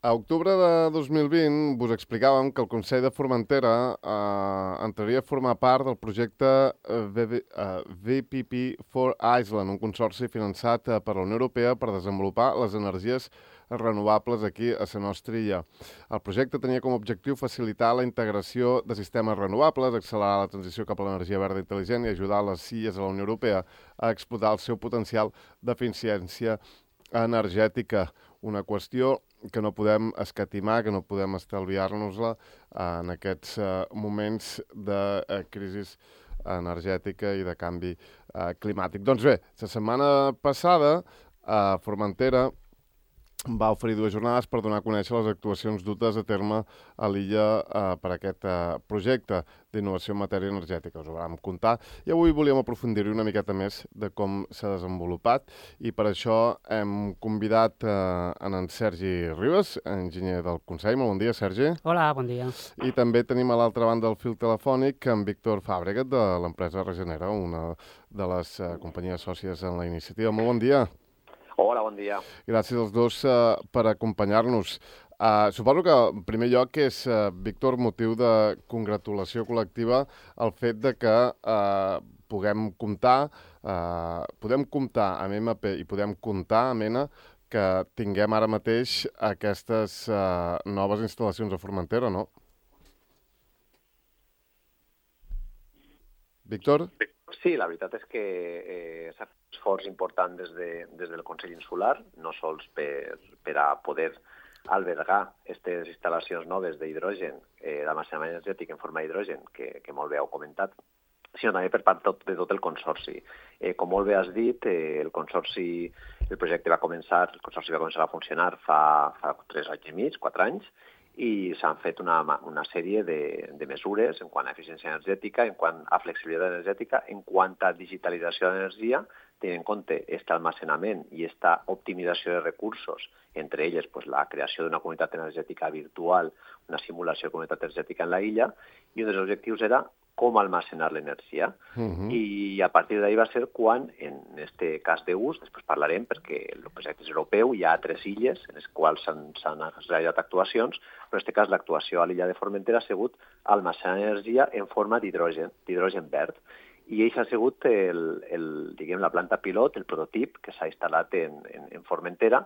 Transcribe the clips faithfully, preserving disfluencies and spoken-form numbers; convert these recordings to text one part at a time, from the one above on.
A octubre de dos mil vint vos explicàvem que el Consell de Formentera eh, entraria a formar part del projecte V P P for Iceland, un consorci finançat per la Unió Europea per desenvolupar les energies renovables aquí a la nostra illa. El projecte tenia com a objectiu facilitar la integració de sistemes renovables, accelerar la transició cap a l'energia verda intel·ligent i ajudar les illes de la Unió Europea a explotar el seu potencial d'eficiència energètica. Una qüestió que no podem escatimar, que no podem estalviar-nos-la en aquests moments de crisi energètica i de canvi climàtic. Doncs bé, la setmana passada a Formentera va oferir dues jornades per donar a conèixer les actuacions dutes a terme a l'illa eh, per aquest eh, projecte d'innovació en matèria energètica. Us ho vam contar i avui volíem aprofundir-hi una miqueta més de com s'ha desenvolupat i per això hem convidat eh, en Sergi Ribas, enginyer del Consell. Molt bon dia, Sergi. Hola, bon dia. I també tenim a l'altra banda del fil telefònic en Víctor Fàbregat de l'empresa Regenera, una de les eh, companyies sòcies en la iniciativa. Molt bon dia. Hola, bon dia. Gràcies als dos uh, per acompanyar-nos. Uh, suposo que, en primer lloc, és, uh, Víctor, motiu de congratulació col·lectiva el fet de que uh, puguem comptar, uh, podem comptar amb M P i podem comptar amb ENA que tinguem ara mateix aquestes uh, noves instal·lacions a Formentera, no? Víctor? Sí, la veritat és que eh, s'ha fet un esforç important des, de, des del Consell Insular, no sols per, per a poder albergar aquestes instal·lacions noves d'hidrogen, eh, d'almacenament energètic en forma d'hidrogen, que, que molt bé heu comentat, sinó també per part tot, de tot el consorci. Eh, com molt bé has dit, eh, el consorci, el projecte va començar, el consorci va començar a funcionar fa, fa tres anys i mig, quatre anys, i s'han fet una, una sèrie de, de mesures en quant a eficiència energètica, en quant a flexibilitat energètica, en quant a digitalització d'energia, tenint en compte aquest almacenament i aquesta optimització de recursos, entre elles pues, la creació d'una comunitat energètica virtual, una simulació de comunitat energètica en la illa, i un dels objectius era com almacenar l'energia. Uh-huh. I a partir d'ahí va ser quan, en este cas d'ús, després parlarem perquè el projecte és europeu, hi ha tres illes en les quals s'han realitzat actuacions, però en aquest cas l'actuació a l'illa de Formentera ha sigut almacenar energia en forma d'hidrogen, d'hidrogen verd. I això ha sigut el, el, diguem, la planta pilot, el prototip que s'ha instal·lat en, en, en Formentera,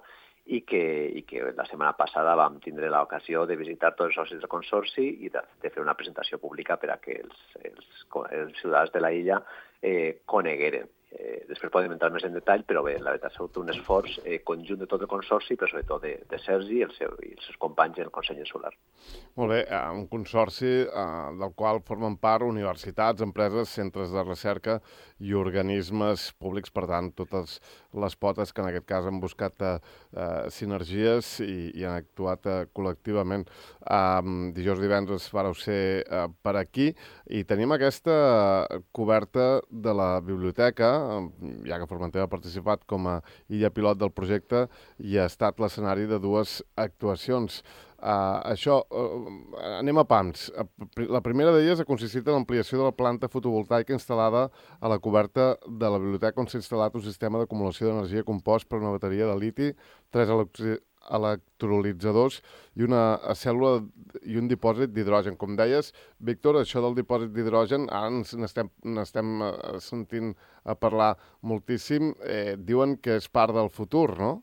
i que, i que la setmana passada vam tindre l'ocasió de visitar tots els socis del consorci i de, de fer una presentació pública per a que els, els, els ciutadans de la illa eh, conegueren. Eh, després podem entrar més en detall, però bé, la veritat ha sigut un esforç eh, conjunt de tot el consorci, però sobretot de, de Sergi i, el seu, i els seus companys en el Consell Insular. Molt bé, eh, un consorci eh, del qual formen part universitats, empreses, centres de recerca i organismes públics, per tant, totes les potes que en aquest cas han buscat eh, eh, sinergies i, i han actuat eh, col·lectivament. Eh, dijous divendres vareu ser eh, per aquí i tenim aquesta coberta de la biblioteca, ja que Formentera ha participat com a illa pilot del projecte i ha estat l'escenari de dues actuacions. Uh, això, uh, anem a pams. La primera d'elles ha consistit en l'ampliació de la planta fotovoltaica instal·lada a la coberta de la biblioteca on s'ha instal·lat un sistema d'acumulació d'energia compost per una bateria de liti, tres electri electrolitzadors i una cèl·lula i un dipòsit d'hidrogen. Com deies, Víctor, això del dipòsit d'hidrogen, ara n'estem n'estem sentint a parlar moltíssim. Eh, diuen que és part del futur, no?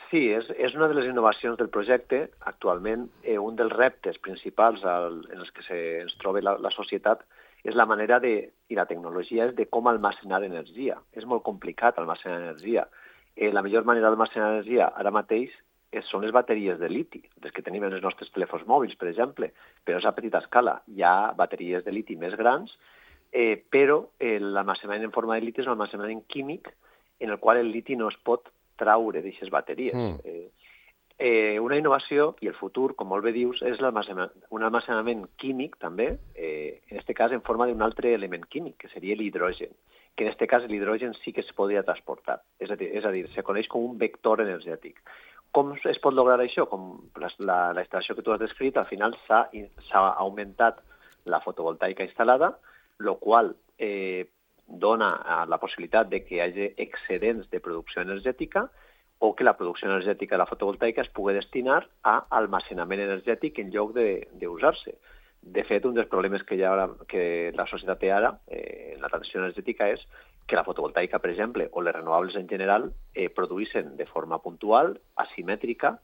Sí, és, és una de les innovacions del projecte. Actualment, eh, un dels reptes principals al, en els que se, ens troba la, la societat és la manera de, i la tecnologia és de com almacenar energia. És molt complicat almacenar energia. Eh, la millor manera d'almacenar energia ara mateix és, són les bateries de liti, les que tenim en els nostres telèfons mòbils, per exemple, però és a petita escala. Hi ha bateries de liti més grans, eh, però eh, l'almacenament en forma de liti és un almacenament químic en el qual el liti no es pot traure d'aquestes bateries. Mm. Eh, eh, una innovació, i el futur, com molt bé dius, és un almacenament químic, també, eh, en aquest cas en forma d'un altre element químic, que seria l'hidrogen. que en aquest cas l'hidrogen sí que es podria transportar. És a dir, és a dir, se coneix com un vector energètic. Com es pot lograr això? Com la, la, la instal·lació que tu has descrit, al final s'ha augmentat la fotovoltaica instal·lada, el qual eh, dona la possibilitat de que hi hagi excedents de producció energètica o que la producció energètica de la fotovoltaica es pugui destinar a almacenament energètic en lloc d'usar-se. De fet, un dels problemes que, ha, que la societat té ara eh, en la transició energètica és que la fotovoltaica, per exemple, o les renovables en general, eh, produeixen de forma puntual, asimètrica,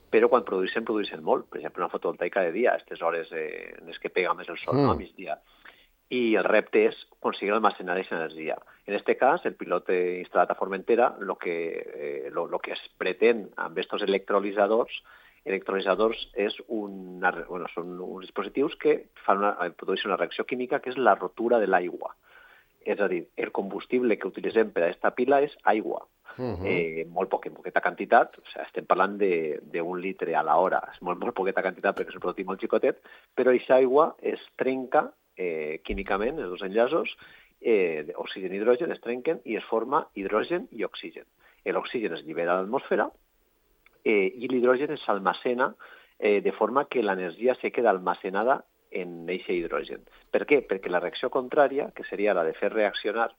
però quan produeixen, produeixen molt. Per exemple, una fotovoltaica de dia, a aquestes hores eh, en les que pega més el sol, mm. no? A migdia. I el repte és aconseguir almacenar aquesta energia. En aquest cas, el pilot instal·lat a Formentera, el que, eh, lo, lo que es pretén amb aquests electrolitzadors electrolitzadors és una, bueno, són uns dispositius que fan una, produeixen una reacció química que és la rotura de l'aigua. És a dir, el combustible que utilitzem per a aquesta pila és aigua. Uh-huh. eh, molt poca, poqueta quantitat, o sigui, estem parlant d'un litre a l'hora, és molt, molt poqueta quantitat perquè és un producte molt xicotet, però aquesta aigua es trenca eh, químicament, els dos enllaços, eh, oxigen i hidrogen es trenquen i es forma hidrogen i oxigen. L'oxigen es llibera a l'atmosfera eh, i l'hidrogen s'almacena eh, de forma que l'energia se queda almacenada en aquest hidrogen. Per què? Perquè la reacció contrària, que seria la de fer reaccionar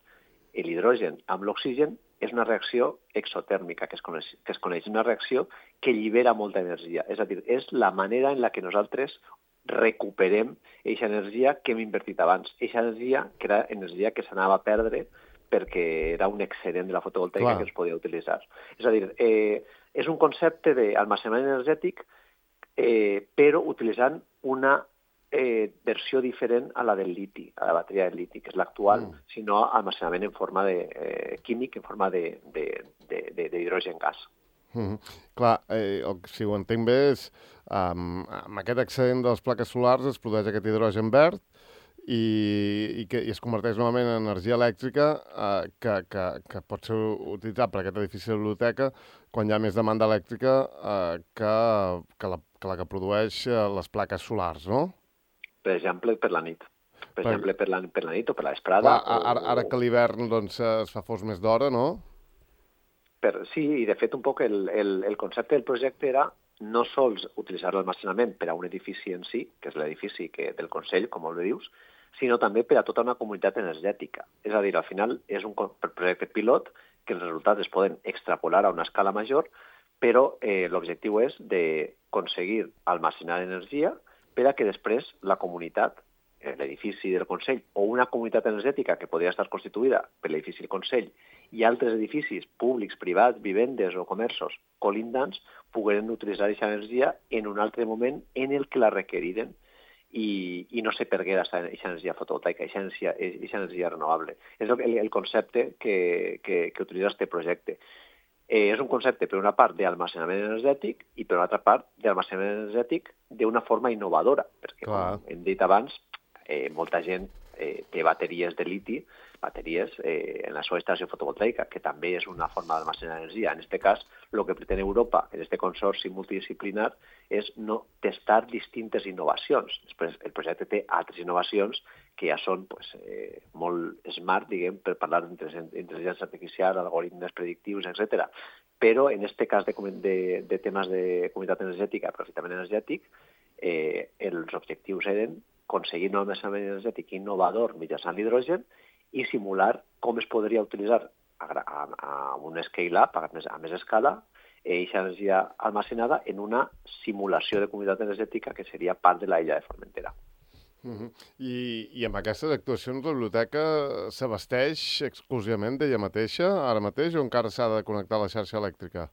l'hidrogen amb l'oxigen, és una reacció exotèrmica, que es, coneix, que es coneix, una reacció que llibera molta energia. És a dir, és la manera en la que nosaltres recuperem aquesta energia que hem invertit abans. Aquesta energia que era energia que s'anava a perdre perquè era un excedent de la fotovoltaica Clar. Que es podia utilitzar. És a dir, eh, és un concepte d'almacenament energètic, eh, però utilitzant una eh, versió diferent a la del liti, a la bateria del liti, que és l'actual, mm. sinó almacenament en forma de, eh, químic, en forma d'hidrogen gas. Mm -hmm. Clar, eh, el, si ho entenc bé, és, um, amb aquest excedent de les plaques solars es produeix aquest hidrogen verd i, i, que, i es converteix novament en energia elèctrica eh, que, que, que pot ser utilitzat per aquest edifici de biblioteca quan hi ha més demanda elèctrica eh, que, que, la, que la que produeix eh, les plaques solars, no? Per exemple, per la nit. Per, per exemple, per la, per la nit o per la vesprada. Clar, ara, ara que l'hivern doncs, es fa fos més d'hora, no? Per, sí, i de fet un poc el, el, el concepte del projecte era no sols utilitzar l'almacenament per a un edifici en si, que és l'edifici del Consell, com molt bé dius, sinó també per a tota una comunitat energètica. És a dir, al final és un projecte pilot que els resultats es poden extrapolar a una escala major, però eh, l'objectiu és d'aconseguir almacenar energia per a que després la comunitat, l'edifici del Consell, o una comunitat energètica que podria estar constituïda per l'edifici del Consell i altres edificis públics, privats, vivendes o comerços colindants, pogueren utilitzar aquesta energia en un altre moment en el que la requeriren i, i no se perguera aquesta energia fotovoltaica, aquesta energia, aquesta energia renovable. És el, el concepte que, que, que utilitza aquest projecte. Eh, és un concepte, per una part, d'almacenament energètic i, per una altra part, d'almacenament energètic d'una forma innovadora, perquè, Clar. Com hem dit abans, eh, molta gent eh, té bateries de liti, bateries eh, en la seva instal·lació fotovoltaica, que també és una forma d'almacenar energia. En aquest cas, el que pretén Europa, en aquest consorci multidisciplinar, és no testar distintes innovacions. Després, el projecte té altres innovacions que ja són pues, eh, molt smart, diguem, per parlar d'intel·ligència artificial, algoritmes predictius, etcètera. Però, en aquest cas de, de, de temes de comunitat energètica, aprofitament energètic, eh, els objectius eren aconseguir un almacenament energètic innovador mitjançant l'hidrogen i simular com es podria utilitzar a, a, a un scale-up, a, a més escala, aquesta energia almacenada en una simulació de comunitat energètica que seria part de l'illa de Formentera. Uh -huh. I, I amb aquestes actuacions la biblioteca s'abasteix exclusivament d'ella mateixa ara mateix o encara s'ha de connectar a la xarxa elèctrica?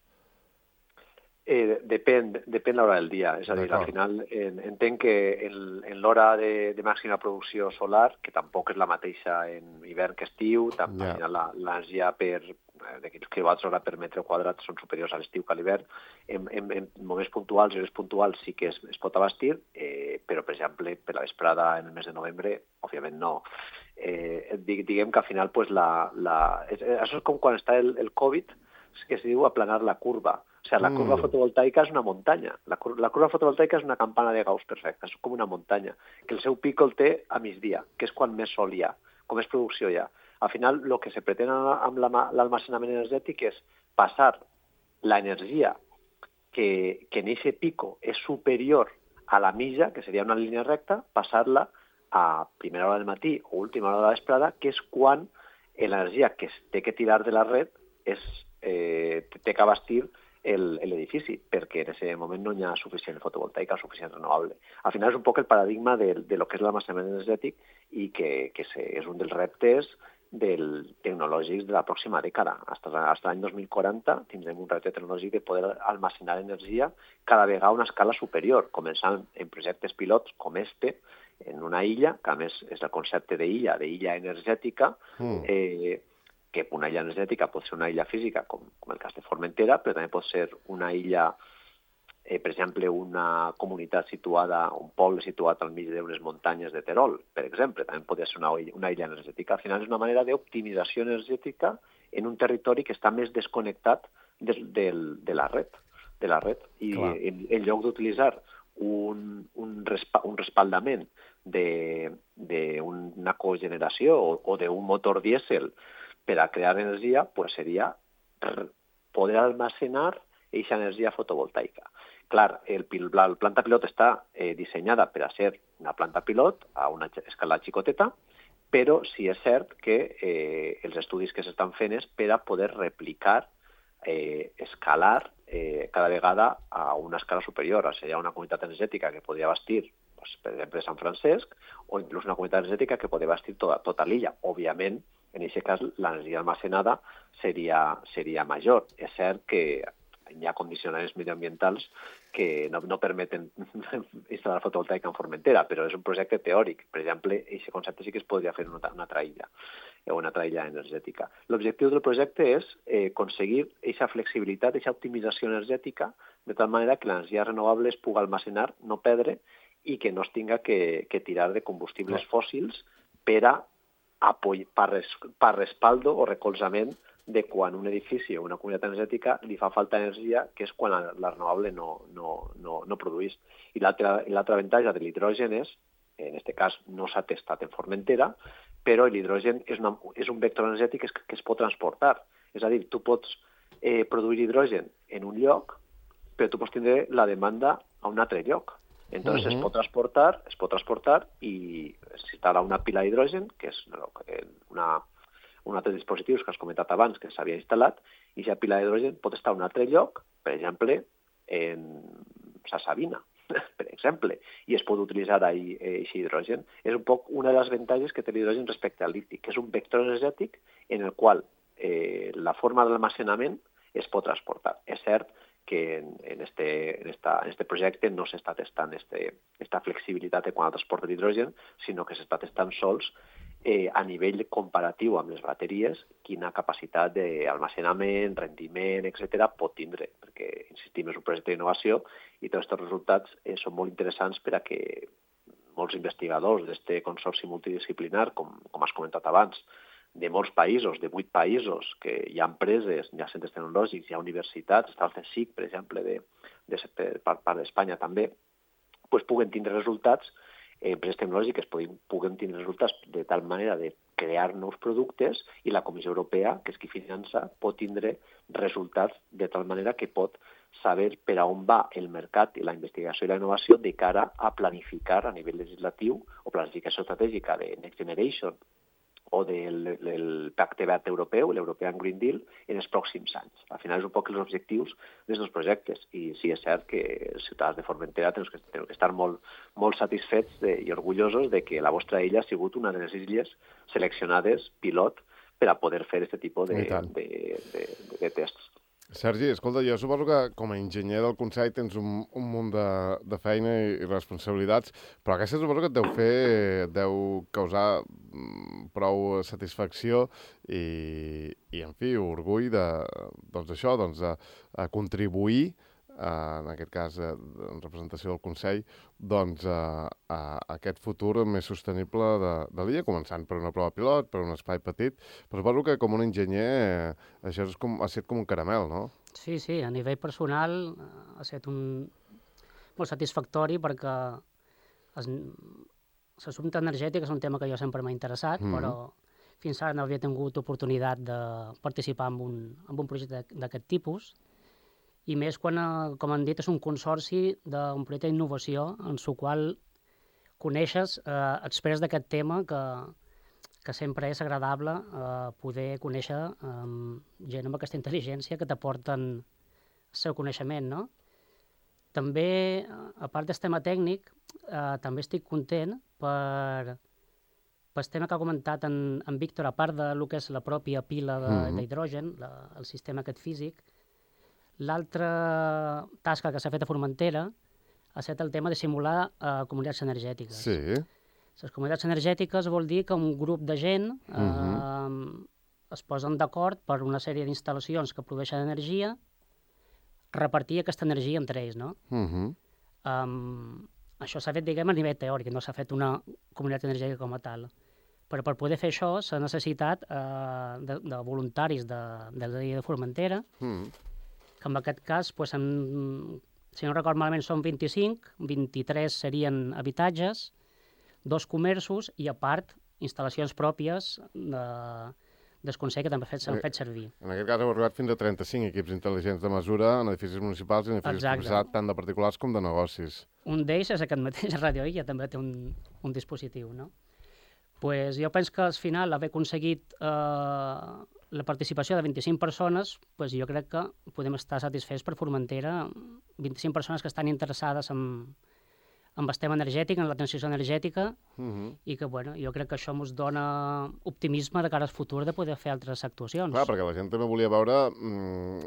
Eh, depèn, depèn l'hora del dia. És a dir, al final en, entenc que en, en l'hora de, de màxima producció solar, que tampoc és la mateixa en hivern que estiu, també yeah. l'energia per de quilowatts hora per metre quadrat són superiors a l'estiu que a l'hivern. En, en, en moments puntuals i hores puntuals sí que es, es pot abastir, eh, però, per exemple, per la vesprada en el mes de novembre, òbviament no. Eh, diguem que al final, pues, la, la, és, això és com quan està el, el Covid, que es diu aplanar la curva. O sigui, la curva mm. fotovoltaica és una muntanya. La, cur la curva fotovoltaica és una campana de Gauss perfecta, és com una muntanya, que el seu pic el té a migdia, que és quan més sol hi ha, com més producció hi ha. Al final, el que se pretén amb l'almacenament energètic és passar l'energia que, que en aquest pico és superior a la mitja, que seria una línia recta, passar-la a primera hora del matí o última hora de la vesprada, que és quan l'energia que es té que tirar de la red és, eh, té que abastir l'edifici, perquè en aquest moment no hi ha suficient fotovoltaica o suficient renovable. Al final és un poc el paradigma de, de lo que és l'almacenament energètic i que, que és un dels reptes del, tecnològics de la pròxima dècada. Fins l'any dos mil quaranta tindrem un repte tecnològic de poder almacenar energia cada vegada a una escala superior, començant en projectes pilots com este, en una illa, que a més és el concepte d'illa, d'illa energètica, mm. eh, que una illa energètica pot ser una illa física, com, com el cas de Formentera, però també pot ser una illa, eh, per exemple, una comunitat situada, un poble situat al mig d'unes muntanyes de Terol, per exemple, també podria ser una, una illa energètica. Al final és una manera d'optimització energètica en un territori que està més desconnectat de, de, de la red. De la red. I en, en lloc d'utilitzar un, un, respa, un respaldament d'una cogeneració o, o d'un motor dièsel per a crear energia, pues seria poder almacenar aquesta energia fotovoltaica. Clar, el, la planta pilot està eh, dissenyada per a ser una planta pilot a una escala xicoteta, però sí és cert que eh, els estudis que s'estan fent és per a poder replicar, eh, escalar eh, cada vegada a una escala superior. O sigui, hi ha una comunitat energètica que podria bastir, pues, per exemple, Sant Francesc, o inclús una comunitat energètica que podria bastir tota, tota l'illa. Òbviament, en aquest cas, l'energia almacenada seria, seria major. És cert que hi ha condicionaments mediambientals que no, no permeten instal·lar fotovoltaica en Formentera, però és un projecte teòric. Per exemple, aquest concepte sí que es podria fer en una, una altra illa, o una altra illa energètica. L'objectiu del projecte és eh, aconseguir aquesta flexibilitat, aquesta optimització energètica, de tal manera que l'energia renovable es pugui almacenar, no perdre, i que no es tinga que, que tirar de combustibles fòssils per a per, res, per respaldo o recolzament de quan un edifici o una comunitat energètica li fa falta energia, que és quan la, la renovable no, no, no, no produeix. I l'altre avantatge de l'hidrogen és, en aquest cas no s'ha testat en Formentera, però l'hidrogen és, una, és un vector energètic que es, que es pot transportar. És a dir, tu pots eh, produir hidrogen en un lloc, però tu pots tindre la demanda a un altre lloc. Entonces, uh -huh. es pot transportar, es pot transportar i s'instal·la una pila d'hidrogen, que és una, un altre dispositius que has comentat abans que s'havia instal·lat, i aquesta pila d'hidrogen pot estar a un altre lloc, per exemple, en Sa Sabina, per exemple, i es pot utilitzar ahí aquest hidrogen. És un poc una de les avantatges que té l'hidrogen respecte al liti, que és un vector energètic en el qual eh, la forma d'almacenament es pot transportar. És cert que en, en, este, en, esta, en este projecte no s'està testant este, esta flexibilitat quant al transport d'hidrogen, sinó que s'està testant sols eh, a nivell comparatiu amb les bateries quina capacitat d'almacenament, rendiment, etcètera pot tindre, perquè, insistim, és un projecte d'innovació i tots aquests resultats eh, són molt interessants per a que molts investigadors d'aquest consorci multidisciplinar, com, com has comentat abans, de molts països, de vuit països, que hi ha empreses, hi ha centres tecnològics, hi ha universitats, està el C S I C, per exemple, de, de, de part, part d'Espanya també, pues puguen tindre resultats, eh, empreses tecnològiques puguen, puguen tindre resultats de tal manera de crear nous productes i la Comissió Europea, que és qui finança, pot tindre resultats de tal manera que pot saber per a on va el mercat i la investigació i la innovació de cara a planificar a nivell legislatiu o planificació estratègica de Next Generation o del, del Pacte Verd Europeu, l'European Green Deal, en els pròxims anys. Al final és un poc els objectius d'aquests projectes. I sí, és cert que els ciutadans de Formentera tenen que, tenen que estar molt, molt satisfets de, i orgullosos de que la vostra illa ha sigut una de les illes seleccionades pilot per a poder fer aquest tipus de, de, de, de, de tests. Sergi, escolta, jo suposo que com a enginyer del Consell tens un, un munt de, de feina i, i responsabilitats, però aquesta suposo que et deu fer, et deu causar prou satisfacció i, i en fi, orgull de, doncs això, doncs de, de contribuir, eh, en aquest cas eh, en representació del Consell, doncs a, a aquest futur més sostenible de, de l'illa, començant per una prova pilot, per un espai petit, però suposo que com un enginyer eh, això és com, ha estat com un caramel, no? Sí, sí, a nivell personal ha estat un... molt satisfactori perquè es... l'assumpte energètic és un tema que jo sempre m'ha interessat, mm. però fins ara no havia tingut oportunitat de participar en un, en un projecte d'aquest tipus, i més quan, eh, com han dit, és un consorci d'un projecte d'innovació en el qual coneixes eh, experts d'aquest tema que, que sempre és agradable eh, poder conèixer eh, gent amb aquesta intel·ligència que t'aporten el seu coneixement, no? També, a part del tema tècnic, eh, també estic content per, per el tema que ha comentat en, en Víctor, a part de lo que és la pròpia pila d'hidrogen, mm -hmm. el sistema aquest físic. L'altra tasca que s'ha fet a Formentera ha estat el tema de simular eh, comunitats energètiques. Sí. Les comunitats energètiques vol dir que un grup de gent eh, mm -hmm. es posen d'acord per una sèrie d'instal·lacions que produeixen energia, repartir aquesta energia entre ells, no? Uh -huh. um, això s'ha fet, diguem, a nivell teòric, no s'ha fet una comunitat energètica com a tal. Però per poder fer això s'ha necessitat uh, de, de voluntaris de, de la de Formentera, uh -huh. que en aquest cas, pues, en, si no record malament, són vint-i-cinc, vint-i-tres serien habitatges, dos comerços i, a part, instal·lacions pròpies de... del Consell que també s'han fet servir. En aquest cas heu arribat fins a trenta-cinc equips intel·ligents de mesura en edificis municipals i en edificis propietat tant de particulars com de negocis. Un d'ells és aquest mateix, Radio Illa, també té un, un dispositiu, no? Pues jo penso que al final haver aconseguit eh, la participació de vint-i-cinc persones, pues jo crec que podem estar satisfets per Formentera, vint-i-cinc persones que estan interessades en amb el tema energètic, en la transició energètica, uh -huh. i que, bueno, jo crec que això ens dona optimisme de cara al futur de poder fer altres actuacions. Clar, perquè la gent també volia veure mm,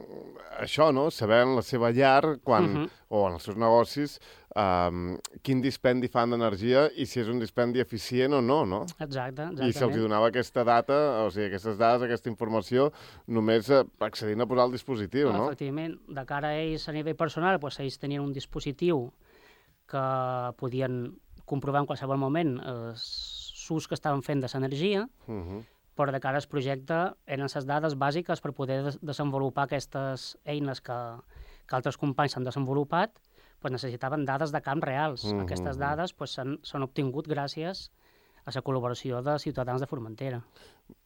això, no?, saber en la seva llar, quan, uh -huh. o en els seus negocis, um, quin dispendi fan d'energia i si és un dispendi eficient o no, no? Exacte, exactament. I se'ls donava aquesta data, o sigui, aquestes dades, aquesta informació, només accedint a posar el dispositiu, no? Efectivament, de cara a ells, a nivell personal, doncs ells tenien un dispositiu que podien comprovar en qualsevol moment els ús que estaven fent de l'energia, uh -huh. però de cara al projecte eren les dades bàsiques per poder des desenvolupar aquestes eines que, que altres companys s'han desenvolupat, pues necessitaven dades de camp reals. Uh -huh. Aquestes dades pues, s'han obtingut gràcies a la col·laboració de ciutadans de Formentera.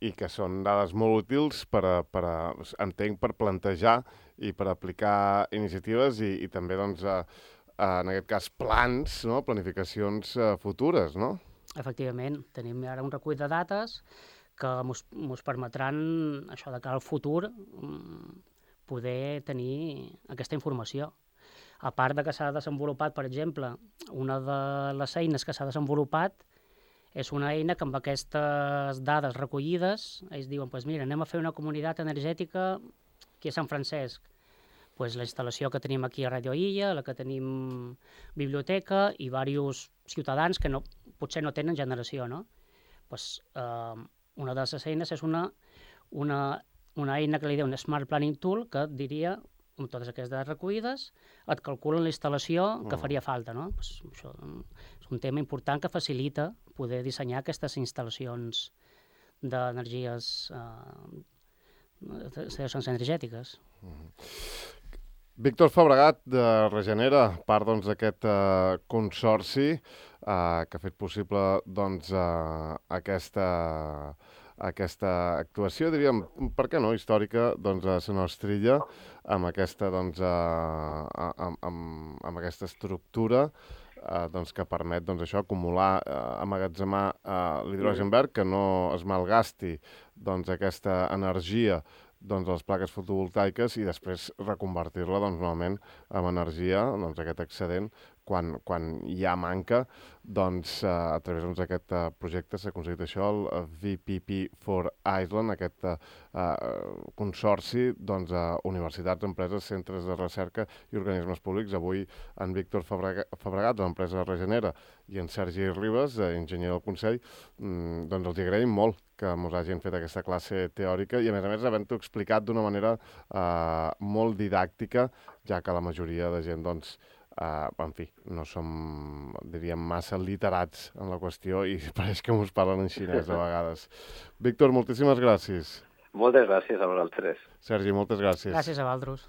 I que són dades molt útils per, a, per a, entenc, per plantejar i per aplicar iniciatives i, i també, doncs, a, en aquest cas, plans, no?, planificacions uh, futures, no? Efectivament. Tenim ara un recull de dates que ens permetran, això de cara al futur, poder tenir aquesta informació. A part de que s'ha desenvolupat, per exemple, una de les eines que s'ha desenvolupat és una eina que amb aquestes dades recollides, ells diuen, pues mira, anem a fer una comunitat energètica aquí a Sant Francesc. Pues la instal·lació que tenim aquí a Radio Illa, la que tenim biblioteca i diversos ciutadans que no, potser no tenen generació, no? Pues, eh, una de les eines és una, una, una eina que li diu un Smart Planning Tool que et diria, amb totes aquestes dades recollides, et calculen la instal·lació que faria falta, no? Pues, això és un tema important que facilita poder dissenyar aquestes instal·lacions d'energies eh, energètiques. Uh-huh. Víctor Fabregat, de Regenera, part doncs, d'aquest uh, consorci uh, que ha fet possible doncs, uh, aquesta, aquesta actuació, diríem, per què no, històrica, doncs, a la nostra illa, amb aquesta, doncs, uh, amb, amb, amb aquesta estructura uh, doncs, que permet doncs, això, acumular, uh, emmagatzemar uh, l'hidrogen verd, que no es malgasti doncs, aquesta energia doncs, les plaques fotovoltaiques i després reconvertir-la doncs, novament en energia, doncs, aquest excedent, quan, quan hi ha manca, doncs, a través doncs, d'aquest uh, projecte s'ha aconseguit això, el V P P for Iceland, aquest uh, consorci doncs, a universitats, empreses, centres de recerca i organismes públics. Avui en Víctor Fabregat, de l'empresa Regenera, i en Sergi Ribas, enginyer del Consell, mm, doncs els agraïm molt que ens hagin fet aquesta classe teòrica i, a més a més, havent-ho explicat d'una manera eh, molt didàctica, ja que la majoria de gent, doncs, eh, en fi, no som, diríem, massa literats en la qüestió i pareix que ens parlen en xinès a vegades. Víctor, moltíssimes gràcies. Moltes gràcies a vosaltres. Sergi, moltes gràcies. Gràcies a vosaltres.